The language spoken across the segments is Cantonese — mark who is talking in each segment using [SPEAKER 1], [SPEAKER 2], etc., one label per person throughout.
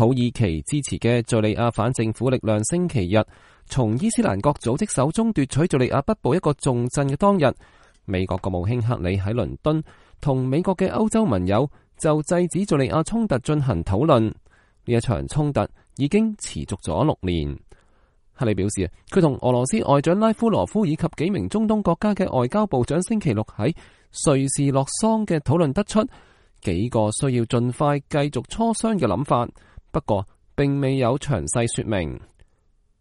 [SPEAKER 1] 土耳其支持嘅敘利亞反政府力量星期日從伊斯蘭國組織手中奪取敘利亞北部一個重鎮嘅當日，美國國務卿克里喺倫敦同美國嘅歐洲盟友就制止敘利亞衝突進行討論。呢一場衝突已經持續咗6年。克里表示，佢同俄羅斯外長拉夫羅夫以及幾名中東國家嘅外交部長星期六喺瑞士洛桑嘅討論得出幾個需要盡快繼續磋商嘅諗法，不過並未有詳細說明。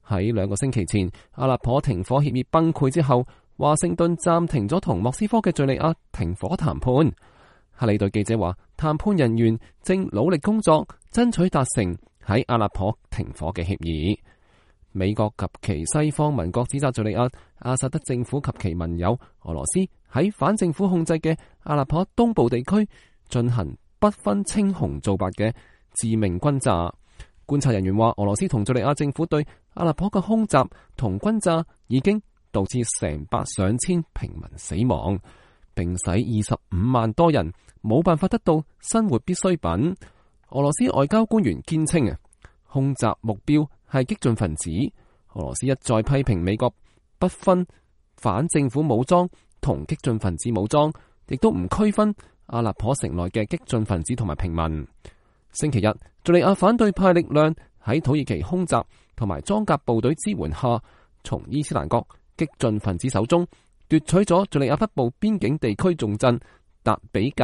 [SPEAKER 1] 喺2個星期前，阿勒頗停火協議崩潰之後，華盛頓暫停咗同莫斯科嘅敘利亞停火談判。克里對記者話，談判人員正努力工作，爭取達成喺阿勒頗停火嘅協議。美國及其西方盟國指責敘利亞阿薩德政府及其盟友俄羅斯喺反政府控制嘅阿勒頗東部地區進行不分青紅皂白嘅致命轟炸。觀察人員話，俄羅斯同敘利亞政府對阿勒頗嘅空襲同轟炸已經導致成百上千平民死亡，並使25萬多人冇辦法得到生活必需品。俄羅斯外交官員堅稱空襲目標係激進分子。俄羅斯一再批評美國不分反政府武裝同激進分子武裝，亦都唔區分阿勒頗城內嘅激進分子同埋平民。星期日，敘利亞反對派力量喺土耳其空襲同埋裝甲部隊支援下，從伊斯蘭國激進分子手中奪取咗敘利亞北部邊境地區重鎮達比格。